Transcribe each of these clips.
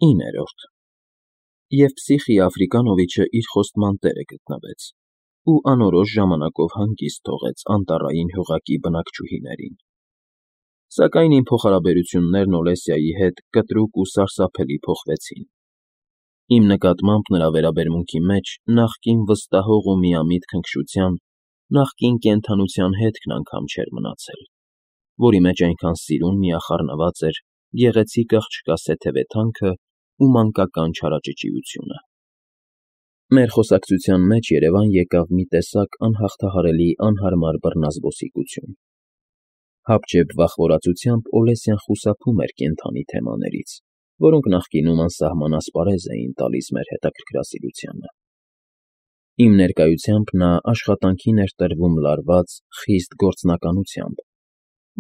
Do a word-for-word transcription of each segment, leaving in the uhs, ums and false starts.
իններորդ Եվ Պսիխի Աֆրիկանովիչը իր խոստման տեղը գտնվեց ու անորոշ ժամանակով հանգիստ թողեց անտառային հյուղակի բնակչուհիներին։ Սակայն իմ փոխհարաբերություններն Օլեսիայի հետ կտրուկ ու սարսափելի փոխվեցին։ Իմ նկատմամբ նրա վերաբերմունքի մեջ նախկին վստահող ու միամիտ քնքշության, նախկին կենդանության հետքն անգամ չէր մնացել, որի մեջ այնքան սիրուն միախառնված էր գեղեցիկ աղջկա սեթևեթանքը ու մանկական չարաճճիությունը։ Մեր խոսակցության մեջ երևան եկավ մի տեսակ անհաղթահարելի անհարմար բռնազբոսիկություն։ Հապճեպ վախվորածությամբ Օլեսյան խուսափում էր կենդանի թեմաներից, որոնք նախկինում անսահման ասպարեզ էին տալիս մեր հետաքրքրասիրությանը։ Իմ ներկայությամբ նա աշխատանքին էր տրվում լարված, խիստ գործնականությամբ,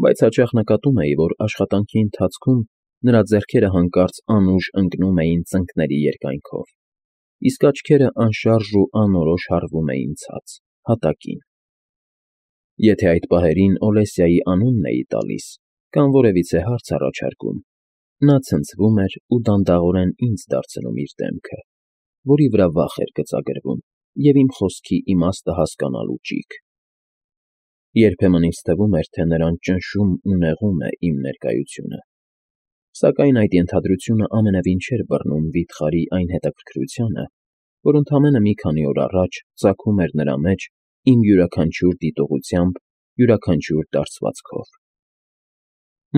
բայց հաճախ նկատում էի, որ աշխատանքի ընթացքում նրա ձեռքերը հանկարծ անուշ ընկնում էին ծնկների երկայնքով, իսկ աչքերը անշարժ ու անորոշ հառվում էին ցած, հատակին։ Եթե այդ պահերին Օլեսիայի անունն էի տալիս կամ որևիցե հարց առաջարկում, նա ցնցվում էր ու դանդաղորեն ինձ դարձնում իր դեմքը, որի վրա վախ էր գծագրվում և իմ խոսքի իմաստը հասկանալու ճիգ։ Երբեմն ինձ թվում էր, թե նրան ճնշում ու նեղում է իմ ներկայությունը, սակայն այդ ենթադրությունը ամենևին չէր բռնում վիթխարի այն հետաքրքրությանը, որ ընդամենը մի քանի օր առաջ ծագում էր նրա մեջ իմ յուրաքանչյուր դիտողությամբ, յուրաքանչյուր դարձվածքով։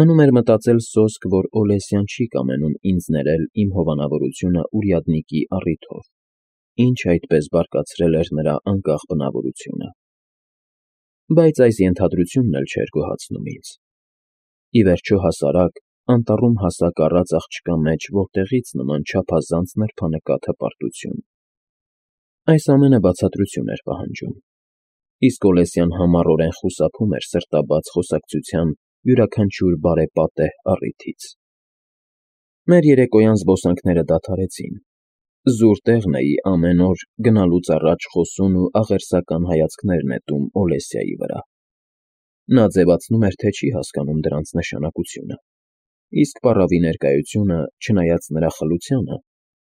Մնում էր մտածել սոսկ, որ Օլեսյան չի կամենում ինձ ներել իմ հովանավորությունը ուրյադնիկի առիթով, ինչ այդպես բարկացրել էր նրա անկախ բնավորությունը։ Բայց այս ենթադրությունն էլ չէր գոհացնում ինձ։ Ի վերջո հասարակ, անտառում հասակ առած աղջկա մեջ որտեղից նման չափազանց նրբանկատ հպարտություն։ Այս ամենը բացատրություն էր պահանջում, իսկ Օլեսյան համառորեն խուսափում էր սրտաբաց խոսակցության յուրաքանչյուր բարեպատեհ առիթից։ Մեր երեկոյան զբոսանքները դադարեցին։ Զուր տեղն էի ամեն օր գնալուց առաջ խոսուն ու աղերսական հայացքներ նետում Օլեսիայի վրա։ Նա ձևացնում էր, թե չի հասկանում դրանց նշանակությունը, իսկ պառավի ներկայությունը, չնայած նրա խլությանը,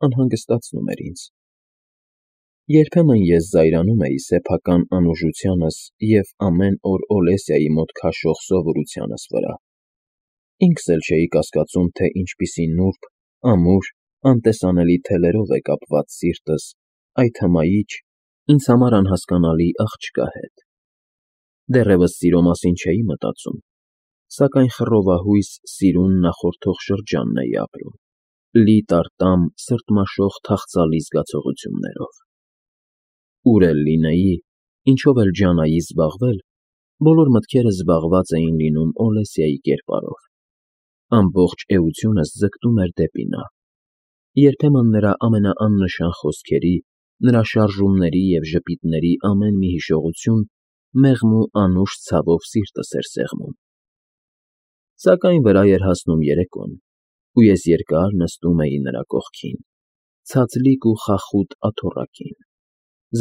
անհանգստացնում էր ինձ։ Երբեմն ես զայրանում էի սեփական անուժությանս և ամեն օր Օլեսիայի մոտ քաշող սովորությանս վրա։ Ինքս էլ չէի կասկածում, թե ինչպիսի նուրբ, ամուր, անտեսանելի թելերով է կապված սիրտս այդ հմայիչ, ինձ համար անհասկանալի աղջկա հետ։ Դեռևս սիրո մասին չէի մտածում, սակայն խռովահույս սիրուն նախորդող շրջանն էի ապրում, լի տարտամ, սրտմաշող թախծալի զգացողություններով։ Ուր էլ լինեի, ինչով էլ ջանայի զբաղվել, բոլոր մտքերս զբաղված էին լինում Օլեսիայի կերպարով։ Ամբողջ էությունս ձգտում էր դեպի նա։ Երբեմն նրա ամենաաննշան խոսքերի, նրա շարժումների և ժպիտների ամեն մի հիշողություն մեղմ ու անուշ ցավով սիրտս էր սեղմում։ Սակայն վրա էր հասնում երեկոն, ու ես երկար նստում էի նրա կողքին, ցածլիկ ու խախուտ աթոռակին,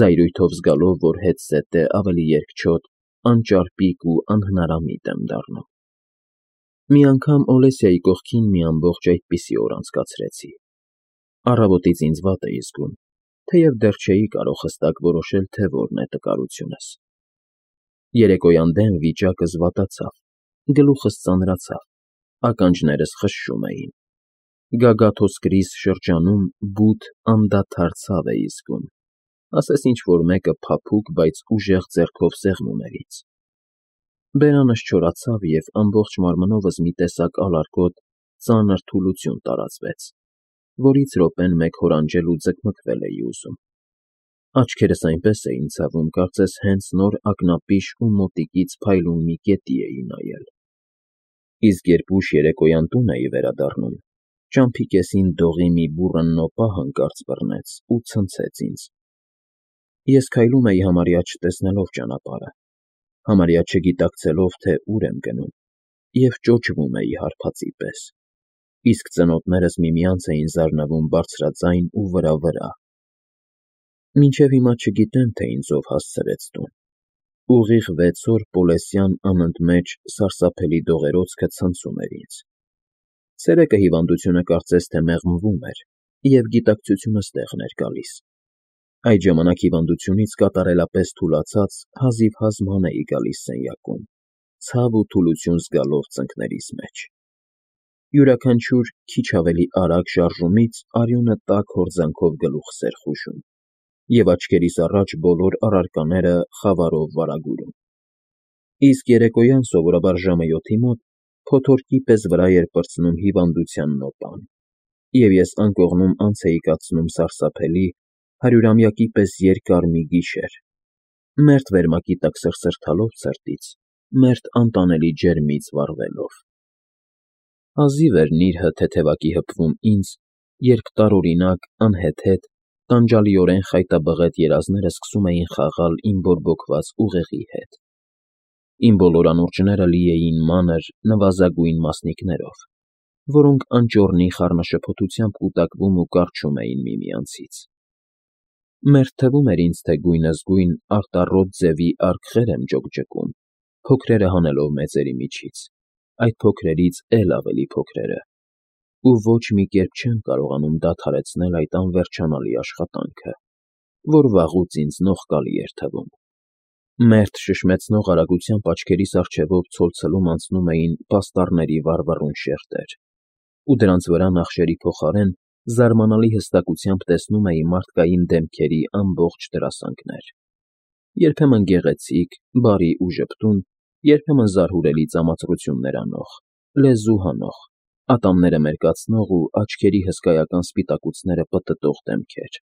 զայրույթով զգալով, որ հետզհետե ավելի երկչոտ, անճարպիկ ու անհնարամիտ եմ դառնում։ Մի անգամ Օլեսիայի կողքին մի ամբողջ այդպիսի օր անցկացրեցի։ Առավոտից ինձ վատ էի զգում, թեև դեռ չէի կարող հստակ որոշել, թե որն է տկարությունս։ Երեկոյան դեմ վիճակս վատացավ, գլուխս ծանրացավ, ականջներս խշշում էին։ Գագաթոսկրիս շրջանում բութ, անդադար ցավ էի զգում, ասես ինչ֊որ մեկը փափուկ, բայց ուժեղ ձեռքով սեղմում էր ինձ։ Բերանս չորացավ, և ամբողջ մարմնովս մի տեսակ ալարկոտ, ծանր թուլություն տարածվեց, որից րոպեն մեկ հորանջել ու ձգմգվել էի ուզում։ Աչքերս այնպես էին ցավում, կարծես հենց նոր ակնապիշ ու մոտիկից փայլուն մի գետի էի նայել։ Իսկ երբ ուշ երեկոյան տուն էի վերադառնում, ճամփի կեսին դողի մի բուռն նոպա հանկարծ բռնեց ու ցնցեց ինձ։ Ես քայլում էի համարյա չտեսնելով ճանապարհը, համարյա չգիտակցելով, թե ուր եմ գնում, և ճոճվում էի հարբածի պես, իսկ ծնոտներս միմյանց էին զարնվում բարձրաձայն ու վրա֊վրա։ Մինչև հիմա չգիտեմ, թե ինձ ով հասցրեց տուն։ Ուղիղ վեց օր Պոլեսյան անընդմեջ սարսափելի դողերոցքը ցնցում էր ինձ։ Ցերեկը հիվանդությունը կարծես թե մեղմվում էր, և գիտակցությունը ստեղն էր գալիս։ Այդ ժամանակ հիվանդությունից կատարելապես թուլացած հազիվ-հազ ման էի գալիս սենյակում, ցավ ու թուլություն զգալով ծնկներիս մեջ։ Յուրաքանչյուր քիչ ավելի արագ շարժումից արյունը տաք հորձանքով գլուխս էր խուժում, և աչքերիս առաջ բոլոր առարկաները խավարով վարագուրում։ Իսկ երեկոյան սովորաբար ժամը յոթի մոտ փոթորկի պես վրա էր պրծնում հիվանդության նոպան, և ես անկողնում անց էի կացնում սարսափելի, հարյուրամյակի պես երկար մի գիշեր, մերթ վերմակի տակ սրսրթալով ցրտից, մերթ անտանելի ջերմից վառվելով։ Հազիվ էր նիրհը թեթևակի հպվում ինձ, երբ տարօրինակ, անհեթեթ, տանջալիորեն խայտաբղետ երազները սկսում էին խաղալ իմ բորբոքված ուղեղի հետ։ Իմ բոլոր անուրջները լի էին մանր, նվազագույն մասնիկներով, որոնք անճոռնի խառնաշփոթությամբ կուտակվում ու կառչում էին միմյանցից։ Մերթ թվում էր ինձ, թե գույնզգույն, արտառոտ ձևի արկղեր եմ ջոկջկում, փոքրերը հանելով մեծերի միջից, այդ փոքրերից էլ ավելի փոքրերը, ու ոչ մի կերպ չեմ կարողանում դադարեցնել այդ անվերջանալի աշխատանքը, որ վաղուց ինձ նողկալի էր թվում։ Մերթ շշմեցնող արագությամբ աչքերիս առջևով ցոլցլում անցնում էին պաստառների վառվռուն շերտեր, ու դրանց վրա նախշերի փոխարեն զարմանալի հստակությամբ տեսնում էի մարդկային դեմքերի ամբողջ դրասանգներ, երբեմն գեղեցիկ, բարի ու ժպտուն, երբեմն զարհուրելի ծամածռություններ անող, լեզու հանող, ատամները մերկացնող ու աչքերի հսկայական սպիտակուցները պտտող դեմքեր։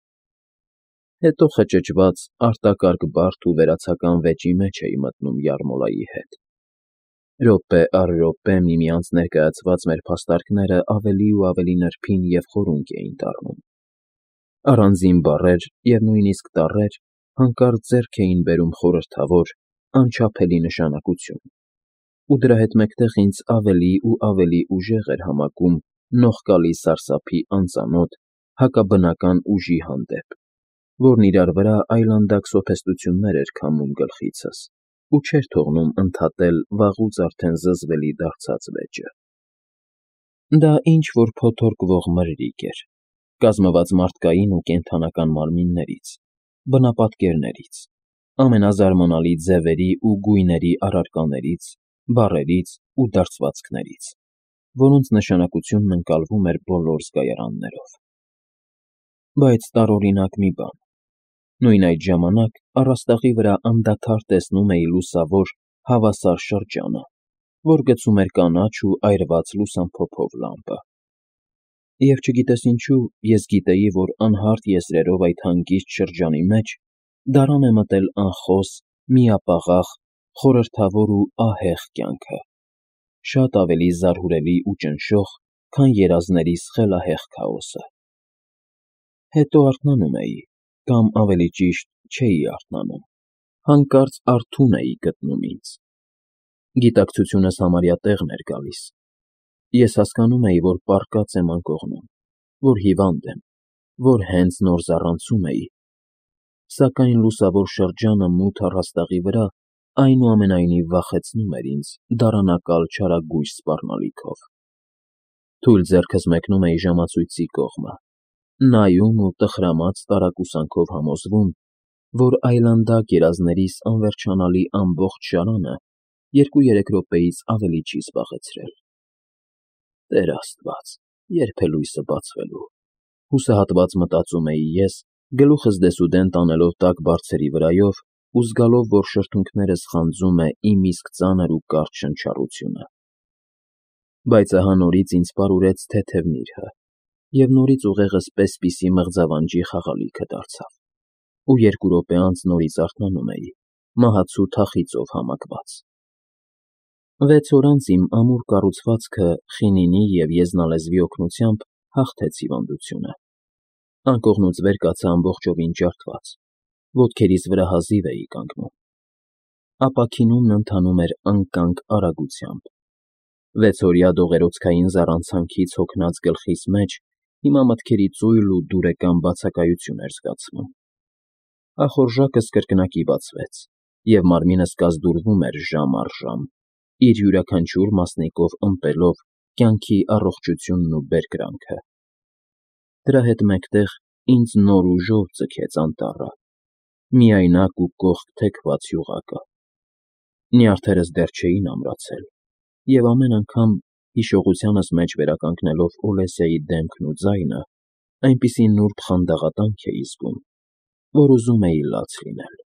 Հետո խճճված, արտակարգ բարդ ու վերացական վեճի մեջ էի մտնում յարմոլայի հետ։ Րոպե առ րոպե միմյանց ներկայացված մեր փաստարկները ավելի ու ավելի նրբին և խորունկ էին դառնում։ Առանձին բառեր և նույնիսկ տառեր հանկարծ ձեռք էին բերում խորհրդավոր, անչափելի նշանակություն, ու դրա հետ մեկտեղ ինձ ավելի ու ավելի ուժեղ էր համակում նողկալի սարսափի անծանոթ, հակաբնական ուժի հանդեպ, որն իրար վրա այլանդակ սոփեստություններ էր քամում գլխիցս ու չէր թողնում ընդհատել վաղուց արդեն զզվելի դարձած վեճը։ Դա ինչ-որ փոթորկվող մրրիկ էր, կազմված մարդկային ու կենդանական մարմիններից, բնապատկերներից, ամենազարմանալի ձևերի ու գույների առարկաներից, բառերից ու դարձվածքներից, որոնց նշանակությունն ընկալվում էր բոլոր զգայարաններով։ Բայց տարօրինակ մի բան. նույն այդ ժամանակ առաստաղի վրա անդադար տեսնում էի լուսավոր, հավասար շրջանը, որ գցում էր կանաչ ու այրված լուսամփոփով լամպը։ Եվ չգիտես ինչու, ես գիտեի, որ անհարթ եզրերով այդ հանգիստ շրջանի մեջ դարան է մտել անխոս, միապաղաղ, խորհրդավոր ու ահեղ կյանքը, շատ ավելի զարհուրելի ու ճնշող, քան երազներիս խելահեղ քաոսը։ Հետո արթնանում էի, կամ ավելի ճիշտ, չէի արթնանում, հանկարծ արթուն էի գտնում ինձ։ Գիտակցությունս համարյա տեղն էր գալիս։ Ես հասկանում էի, որ պառկած եմ անկողնում, որ հիվանդ եմ, որ հենց նոր զառանցում էի, սակայն լուսավոր շրջանը մութ առաստաղի վրա այնուամենայնիվ վախեցնում էր ինձ դարանակալ չարագույժ սպառնալիքով։ Թույլ ձեռքս մեկնում էի ժամացույցի կողմը, նայում ու տխրամած տարակուսանքով համոզվում, որ այլանդակ երազներիս անվերջանալի ամբողջ շարանը երկու֊երեք րոպեից ավելի չի զբաղեցրել։ Տեր Աստված, ե՞րբ է լույսը բացվելու, հուսահատված մտածում էի ես, գլուխս դեսուդեն տանելով տաք բարձերի վրայով ու զգալով, որ շրթունքներս խանձում է իմ իսկ ծանր ու կարճ շնչառությունը։ Բայց ահա նորից ինձ պարուրեց թեթև նիրհը, և նորից ուղեղս պես֊պիսի մղձավանջի խաղալիքը դարձավ, ու երկու րոպե անց նորից արթնանում էի, մահացու թախիծով համակված։ Վեց օր անց իմ ամուր կառուցվածքը խինինի և եզնալեզվի օգնությամբ հաղթեց հիվանդությունը։ Անկողնուց վեր կացա ամբողջովին ջարդված, ոտքերիս վրա հազիվ էի կանգնում։ Ապաքինումն ընթանում էր անկանգ արագությամբ։ Վեցօրյա դողերոցքային զառանցանքից հոգնած գլխիս մեջ հիմա մտքերի ծույլ ու դուրեկան բացակայություն էր զգացվում։ Ախորժակս կրկնակի բացվեց, և մարմինս կազդուրվում էր ժամ առ ժամ, իր յուրաքանչյուր մասնիկով ըմպելով կյանքի առողջությունն ու բերկրանքը։ Դրա հետ մեկտեղ ինձ նոր ուժով ձգեց անտառը, միայնակ ու կողք թեքված յուղակը։ Նյարդերս դեռ չէին ամրացել, և ամեն անգամ, հիշողությանս մեջ վերականգնելով Օլեսյայի դեմքն ու ձայնը, այնպիսի նուրբ խանդաղատանք էի զգում, որ ուզում էի լաց լինել։